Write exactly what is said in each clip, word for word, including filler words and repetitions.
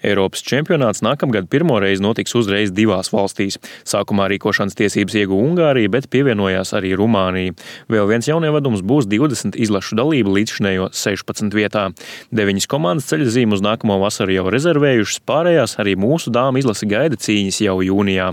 Eiropas čempionāts nākamgad pirmo reizi notiks uzreiz divās valstīs. Sākumā rīkošanas tiesības ieguva Ungārija, bet pievienojās arī Rumānija. Vēl viens jaunievedums būs divdesmit izlašu dalība līdzšinējo sešpadsmit vietā. Deviņas komandas ceļazīmu uz nākamo vasaru jau rezervējušas, pārējās arī mūsu dāmu izlase gaida cīņas jau jūnijā.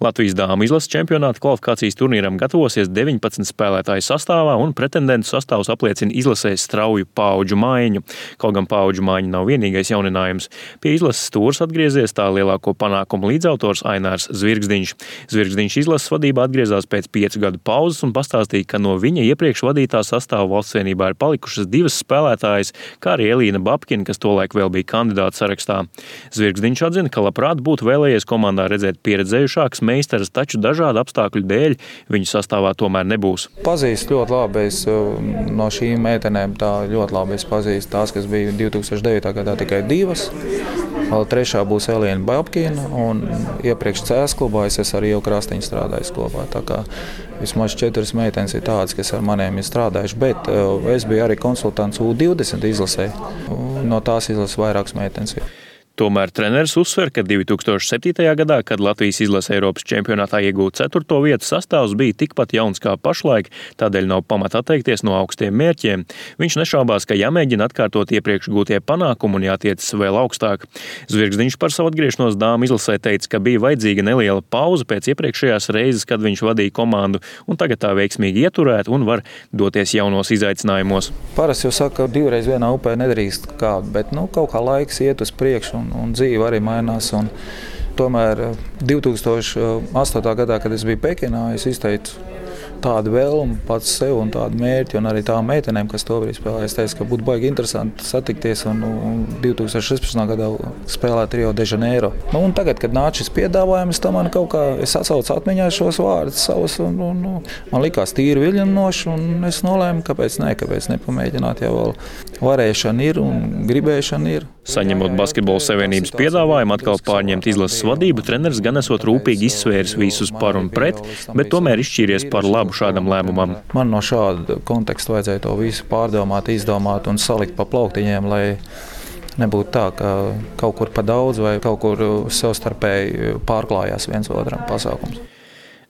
Latvijas dāmu izlases čempionāta kvalifikācijas turnīram gatavosies deviņpadsmit spēlētāju sastāvā, un pretendentu sastāvs apliecina izlasē strauju paudžu maiņu. Kaut gan paudžu maiņa nav vienīgais jauninājums. Pie izlases stūres atgriezies tā lielāko panākumu līdzautors Ainārs Zvirgzdiņš. Zvirgzdiņš izlases vadībā atgriezās pēc piecu gadu pauzes un pastāstīja, ka no viņa iepriekš vadītā sastāva Valstsvienībā ir palikušas divas spēlētājas, kā arī Elīna Babkina, kas tolaik vēl bija kandidāta sarakstā. Zvirgzdiņš atzina, ka labprāt būtu vēlējies komandā redzēt pieredzējušākas meistaras, taču dažādu apstākļu dēļ viņu sastāvā tomēr nebūs. Pazīst ļoti labi, es no šīm meitenēm tā ļoti labi es pazīstu tās, kas bija divi tūkstoši devītā gadā tikai divas. Vēl trešā būs Elīna Babkina, un iepriekš C S klubā es esmu arī jau Krastiņu strādājis klubā. Tā kā vismaz četras meitenes ir tādas, kas ar maniem ir strādājuši, bet es biju arī konsultants U divdesmit izlasē. No tās izlases vairākas meitenes ir. Tomēr treneris uzsver, ka divi tūkstoši septītajā gadā, kad Latvijas izlase Eiropas čempionātā iegūta ceturto vietu, sastāvs bija tikpat jauns kā pašlaik, tādēļ nav pamata atteikties no augstiem mērķiem. Viņš nešaubās, ka jāmēģina atkārtot iepriekš gūtie panākumi un jātiecas vēl augstāk. Zvirgzdiņš par savu atgriešanos dāmu izlasē teica, ka bija vajadzīga neliela pauze pēc iepriekšējās reizes, kad viņš vadīja komandu, un tagad tā veiksmīgi ieturēt un var doties jaunos izaicinājumos. Parasti jau saka, ka divreiz vienā upē nedrīkst kāpt, bet nu, kaut kā laiks iet uz priekšu. Un, un dzīve arī mainās. Un tomēr divi tūkstoši astotajā gadā, kad es biju Pekinā, es izteicu tādu vēlmu pats sev un tādu mērķi, un arī tām meitenēm, kas to brīdī spēlēja. Es teicu, ka būtu baigi interesanti satikties un, un divi tūkstoši sešpadsmitajā gadā spēlēt Rio de Janeiro. Nu, un tagad, kad nāca šis piedāvājums, tam man kaut kā, es atsaucu atmiņā šos vārdus savus, un, un, un man likās tīri viļņinoši, un es nolēmu, kāpēc ne, kāpēc nepamēģināt, jau vēl varēšana ir un gribēšana ir. Saņemot Basketbola savienības piedāvājumu atkal pārņemt izlases vadību, treneris gan esot rūpīgi izsvēris visus par un pret, bet tomēr izšķīries par labu šādam lēmumam. Man no šāda konteksta vajadzēja to visu pārdomāt, izdomāt un salikt pa plauktiņiem, lai nebūtu tā, ka kaut kur pa daudz vai kaut kur savstarpēji pārklājās viens otram pasākums.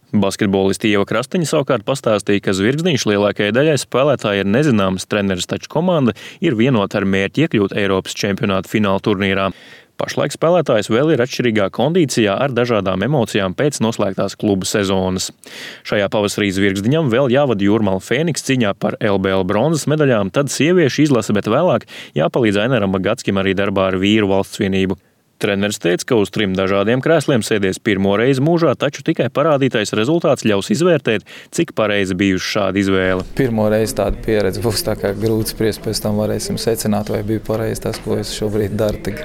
Basketbolisti Ieva Krastiņa savukārt pastāstīja, ka Zvirgzdiņš lielākajai daļai spēlētāji ir nezināms treneris, taču komanda ir vienota ar mērķi iekļūt Eiropas čempionāta fināla turnīrā. Pašlaik spēlētājs vēl ir atšķirīgā kondīcijā ar dažādām emocijām pēc noslēgtās kluba sezonas. Šajā pavasarī Zvirgzdiņam vēl jāvada Jūrmala Fēniks cīņā par L B L bronzas medaļām, tad sieviešu izlase, bet vēlāk jāpalīdz Aināram Bagatskim arī darbā ar vīru Valstsvienību. Treneris teica, ka uz trim dažādiem krēsliem sēdies pirmo reizi mūžā, taču tikai parādītais rezultāts ļaus izvērtēt, cik pareizi bijuši šāda izvēle. Pirmo reizi tāda pieredze būs tā kā grūti spriest, pēc tam varēsim secināt, vai bija pareizi tas, ko es šobrīd daru tik,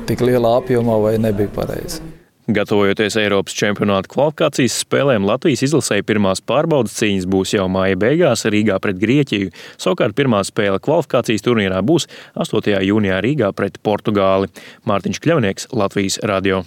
tik lielā apjomā, vai nebija pareizi. Gatavojoties Eiropas čempionāta kvalifikācijas spēlēm, Latvijas izlasēji pirmās pārbaudas cīņas būs jau māja beigās Rīgā pret Grieķiju. Savukārt pirmā spēle kvalifikācijas turnīrā būs astotajā jūnijā Rīgā pret Portugāli. Mārtiņš Kļavnieks, Latvijas radio.